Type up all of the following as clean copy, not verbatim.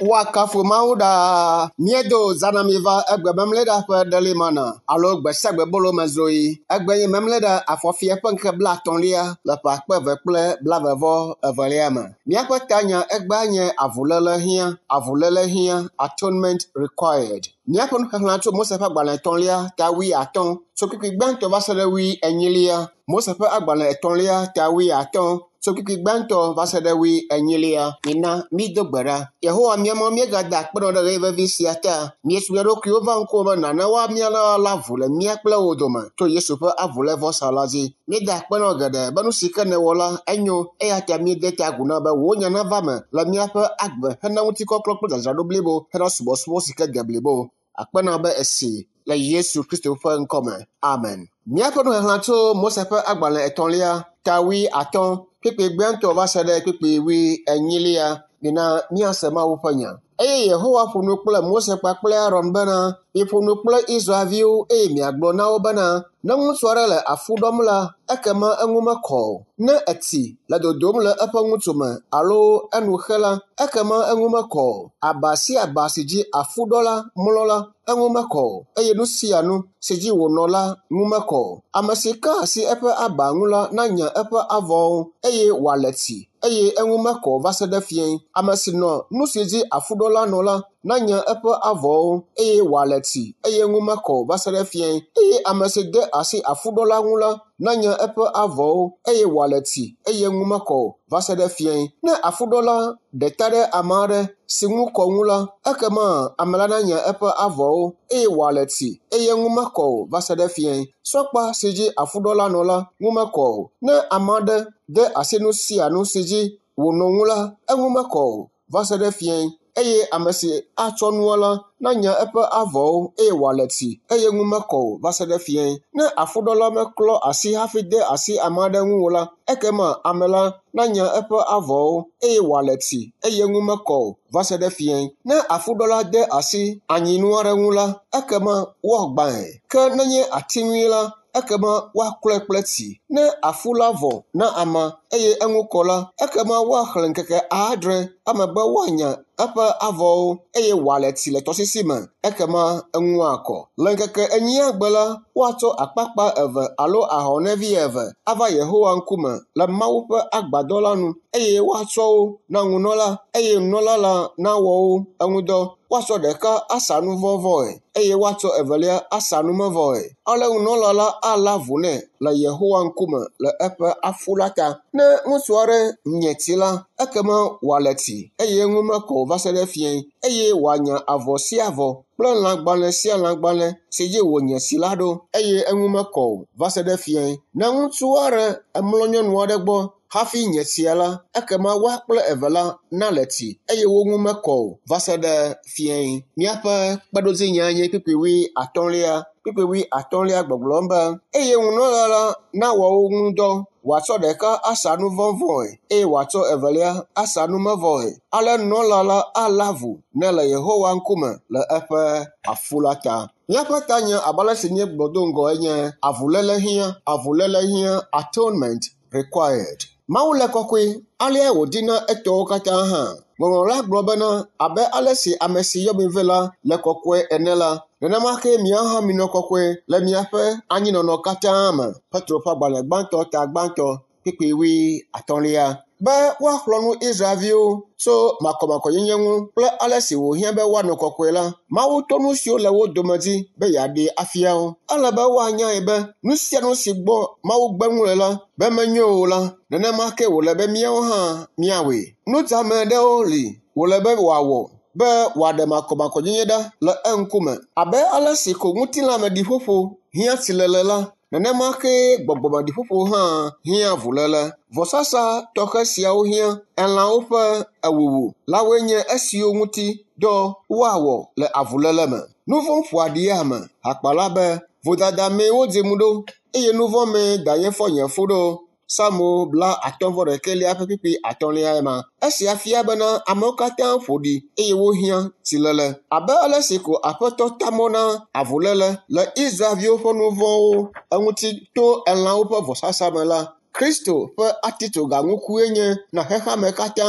Woakafu Mawu ɖaa. Míedo zã na mi va egbe memleɖa ƒe ɖelimana alo gbe sia gbe bolo me zoyi. Egbe nye memleɖa afɔfia ƒe ŋkeke 30lia le ƒe akpe eve kple blaeve vɔ evelia me. Míaƒe tanya egbea nye avuléle hiã, avuléle hiã, atonement required. Míaƒe nuxexlẽ tso Mose ƒe agbalẽ etɔ̃lia ta 50 tso kpukpui gbãtɔ va se ɖe 40lia. Mose ƒe agbalẽ etɔ̃lia ta 50 tso kpukpui gbãtɔ va se ɖe 40lia. Mina mído gbe ɖa. Yehowa mía Mawu, míegada akpe nɔ ɖe ɣeyiɣi vevi sia ta. Míesu mía ɖokuiwo va ŋkuwò be nàna woamia la avu le mía kple wò dome to Yesu ƒe avulévɔsa la dzi. Míeda akpe nɔ geɖe be nu si ke nèwɔ la enyo eya ta míede ta agu na be wò nya nava eme le míaƒe agbe hena ŋutikɔklɔ kple dzadzraɖo blibo hena subɔsubɔ si ke de blibo. Akpe na be esi le Yesu Kristo ƒe ŋkɔme. Amen. Míaƒe nuxexlẽ tso Mose ƒe agbalẽ etɔ̃lia ta 50 kpukpui gbãtɔ va se ɖe kpukpui 40lia. Mina míase Mawu ƒe nya. Eye Yehowa ƒo nu kple Mose kpakple Aron bena, Miƒo nu kple Israelviwo eye miagblɔ na wo bena, ne ŋutsu aɖe le afu ɖɔm la, ekema eŋu mekɔ o. Ne etsi le dodom le eƒe ŋutsu me alo enu xe la, ekema eŋu mekɔ o. Aba sia aba si dzi afuɖɔla mlɔ la, eŋu mekɔ o eye nu sia nu si dzi wònɔ la ŋu mekɔ o. Ame si ka asi eƒe aba ŋu la nanya eƒe avɔwo eye wòale tsi eye eŋu mekɔ o va se ɖe fiẽ. Ame si nɔ nu si dzi afuɖɔla nɔ la nanya eƒe avɔwo eye wòale tsi eye eŋu mekɔ o va se ɖe fiẽ. Eye ame si de asi afuɖɔla ŋu la nanya eƒe avɔwo eye wòale tsi eye eŋu mekɔ o va se ɖe fiẽ. Ne afuɖɔla ɖe ta ɖe ame aɖe si ŋu kɔ ŋu la, ekema ame la nanya eƒe avɔwo eye wòale tsi eye eŋu mekɔ o va se ɖe fiẽ. Sɔkpa si dzi afuɖɔla nɔ la ŋu mekɔ o. Ne ame aɖe de asi nu sia nu si dzi wònɔ ŋu la, eŋu mekɔ o va se ɖe fiẽ. Eye ame si atsɔ nua la nanya eƒe avɔwo eye wòale tsi eye ŋu mekɔ o va se ɖe fiẽ. Ne afuɖɔla meklɔ asi hafi de asi ame aɖe ŋu o la, ekema ame la nanya eƒe avɔwo eye wòale tsi eye ŋu mekɔ o va se ɖe fiẽ. Ne afuɖɔla de asi anyinu aɖe ŋu la, ekema woagbãe. Ke nenye ati ŋui la, ekema woaklɔe kple tsi. Ne afu la vɔ na amea eye eŋu kɔ la, ekema woaxlẽ ŋkeke 7 emegbe woanya eƒe avɔwo eye wòale tsi le tɔsisi me, ekema eŋu akɔ. Le ŋkeke enyia gbe la, woatsɔ akpakpa eve alo ahɔnɛvi eve ava Yehowa ŋkume le Mawu ƒe agbadɔ la nu eye woatsɔ wo na nunɔla eye nunɔla la nawɔ wo eŋudɔ. Woatsɔ ɖeka asa nuvɔ̃vɔe eye woatsɔ evelia asa numevɔe. Ale nunɔla la alé avu nɛ le Yehowa ŋkume le eƒe afu la ta. Ne ŋutsu aɖe nye tsi la, ekema wòale tsi eye eŋu mekɔ o va se ɖe fiẽ eye wòanya avɔ sia avɔ kple lãgbalẽ sia lãgbalẽ si dzi wònye tsi la ɖo eye eŋu mekɔ o va se ɖe fiẽ. Ne ŋutsu aɖe emlɔ nyɔnu aɖe gbɔ hafi nye tsia la, ekema woa kple eve la nale tsi eye wo ŋu mekɔ o va se ɖe fiẽ. Míaƒe kpeɖodzinyae nye kpukpui 50lia. Kpukpui 50lia gbɔgblɔm be eye nunɔla la nawɔ wo ŋu dɔ, wòatsɔ ɖeka asa nuvɔ̃vɔe eye wòatsɔ evelia asa numevɔe. Ale nunɔla la alé avu nɛ le Yehowa ŋkume le eƒe afu la ta. Míaƒe tanya abe ale si míegblɔ do ŋgɔ enye avuléle hiã, avuléle hiã, atonement required. Mawu le kɔkɔe, alea wòdina etɔwo katã hã. Ŋɔŋlɔ la gblɔ bena abe ale si ame si yɔ mi vɛ la le kɔkɔe ene la, nenema ke miawo hã minɔ kɔkɔe le miaƒe anyinɔnɔ katã me. Petro ƒe agbalẽ gbãtɔ ta gbãtɔ kpukpui 50lia. Be woaxlɔ̃ nu Israelviwo tso makɔmakɔnyenye ŋu kple ale si wòhiã be woanɔ kɔkɔe la, Mawu to nu siwo le wo dome dzi be yeaɖee afia wo. Ele be woanyae be nu sia nu si gbɔ Mawu gbe nu le la be menyo o la, nenema ke wòle be míawo hã míawɔe. Nudzame aɖewo li wòle be wòawɔ be wòaɖe makɔmakɔnyenye ɖa le eŋkume. Abe ale si ko ŋutilãmeɖiƒoƒo hiã tsilele la, nenema ke gbɔgbɔmeɖiƒoƒo hã hiã avuléle. Vɔsasa tɔxɛ siawo hiã elãwo ƒe ewuwu lawoe nye esiwo ŋuti dɔ woawɔ le avuléle me. Nu vɔ̃ ƒoa ɖi ame. Hakpala be, vodada mee wodzim ɖo eye nu vɔ̃ mee danye fɔ nye fu ɖo. Psalmo 51 ƒe kpukpui 3lia ema. Esia fia bena amewo katã ƒo ɖi eye wohiã tsilele. Abe ale si ko Aƒetɔ ta mɔ na avuléle le Israelviwo ƒe nu vɔ̃wo eŋuti to elãwo ƒe vɔsasa me la, Kristo ƒe atitsogaŋukue nye na xexeame katã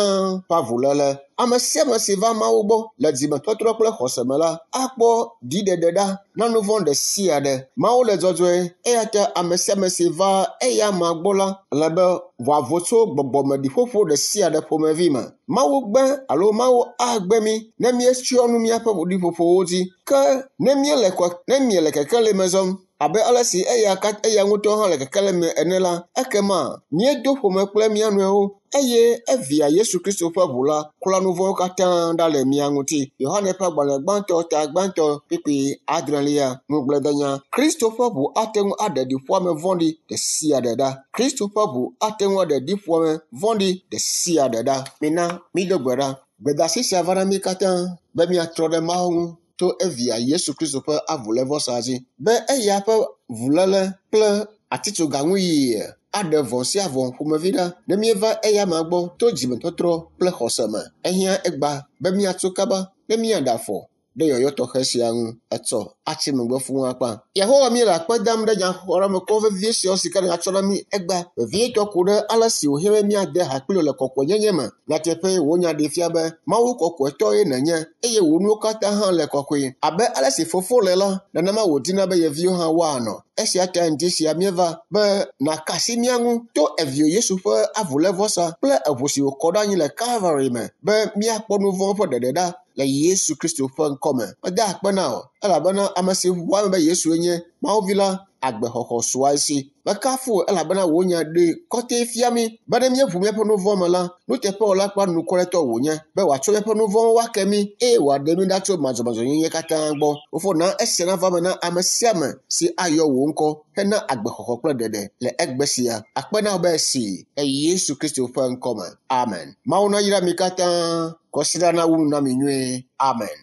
ƒe avuléle. Ame sia ame si va Mawu gbɔ le dzimetɔtrɔ kple xɔse me la, akpɔ ɖiɖeɖe ɖa na nu vɔ̃ ɖe sia ɖe. Mawu le dzɔdzɔe eya ta ame sia ame si va eya amea gbɔ la le be wòavo tso gbɔgbɔmeɖiƒoƒo ɖe sia ɖe ƒomevi me. Mawu gbe alo Mawu agbe mí ne míetsyɔ nu míaƒe ɖiƒoƒowo dzi. Ke ne míele ne miele kekeli me zɔm abe ale si eya eya ŋutɔ hã le kekeli me ene la, ekema míedo ƒome kple mía nɔewo eye evia Yesu Kristo ƒe ʋu la klɔa nu vɔ̃wo katã ɖa le mía ŋuti. Yohane ƒe agbalẽ gbãtɔ ta gbãtɔ kpukpui adrelia. Ŋugbledenya. Kristo ƒe ʋu ate ŋu aɖe ɖiƒoame vɔ̃ɖi ɖe sia ɖe ɖa. Kristo ƒe ʋu ate ŋu aɖe ɖiƒoame vɔ̃ɖi ɖe sia ɖe ɖa. Mina mído gbe ɖa. Gbedeasi sia va na mí katã be míatrɔ ɖe Mawu ŋu to evia Yesu Kristo ƒe avulévɔsa dzi be eya ƒe vuléle kple atitsoga ŋu yiyie aɖe vɔ̃ sia vɔ̃ ƒomevi ɖa ne míeva eya amea gbɔ to dzimetɔtrɔ kple xɔse me. Ehiã egba be míatso kaba ne míaɖe afɔ ɖe yɔyɔ tɔxɛ sia ŋu etsɔ atsi megbe fũu akpa. Yehowa míele akpe dam ɖe nyaxɔɖeamekɔ vevie siawo si ke nègatsɔ na mí egbea, vevietɔ ku ɖe ale si wòhiã be míade ha kpli wò le kɔkɔenyenye me. Nyateƒee wò nya ɖee fia be Mawu kɔkɔetɔe nènye eye wò nuwo katã hã le kɔkɔe. Abe ale si fofo le la, nenema wòdina be ye viwo hã woanɔ. Esia ta ŋdi sia míeva be nàka asi mía ŋu to evio Yesu ƒe avulévɔsa kple eʋu si wòkɔ ɖe anyi le Kalvari me be míakpɔ nu vɔ̃ ƒe ɖeɖe ɖa le Yesu Kristo ƒe ŋkɔ me. Meda akpe na wò elabena ame si ʋua eme be Yesue nye Mawu Vi la, agbexɔxɔ sua esi. Mekafu wò elabena wò nya ɖee kɔtɛ fia mí be ne míeʋu míaƒe nu vɔ̃ me la, nuteƒewɔla kple anukwaretɔ wònye be wòatsɔ míaƒe nu vɔ̃wo ake mí eye wòaɖe mí ɖa tso madzɔmadzɔnyenye katã gbɔ. Fofo, na esia nava eme na ame sia ame si ayɔ wò ŋkɔ hena agbexɔxɔ kple ɖeɖe le egbe sia. Akpe na wò be esi le Yesu Kristo ƒe ŋkɔ me. Amen. Mawu nayra mi katã. Kɔsiɖa nawu nu na mi nyuie. Amen.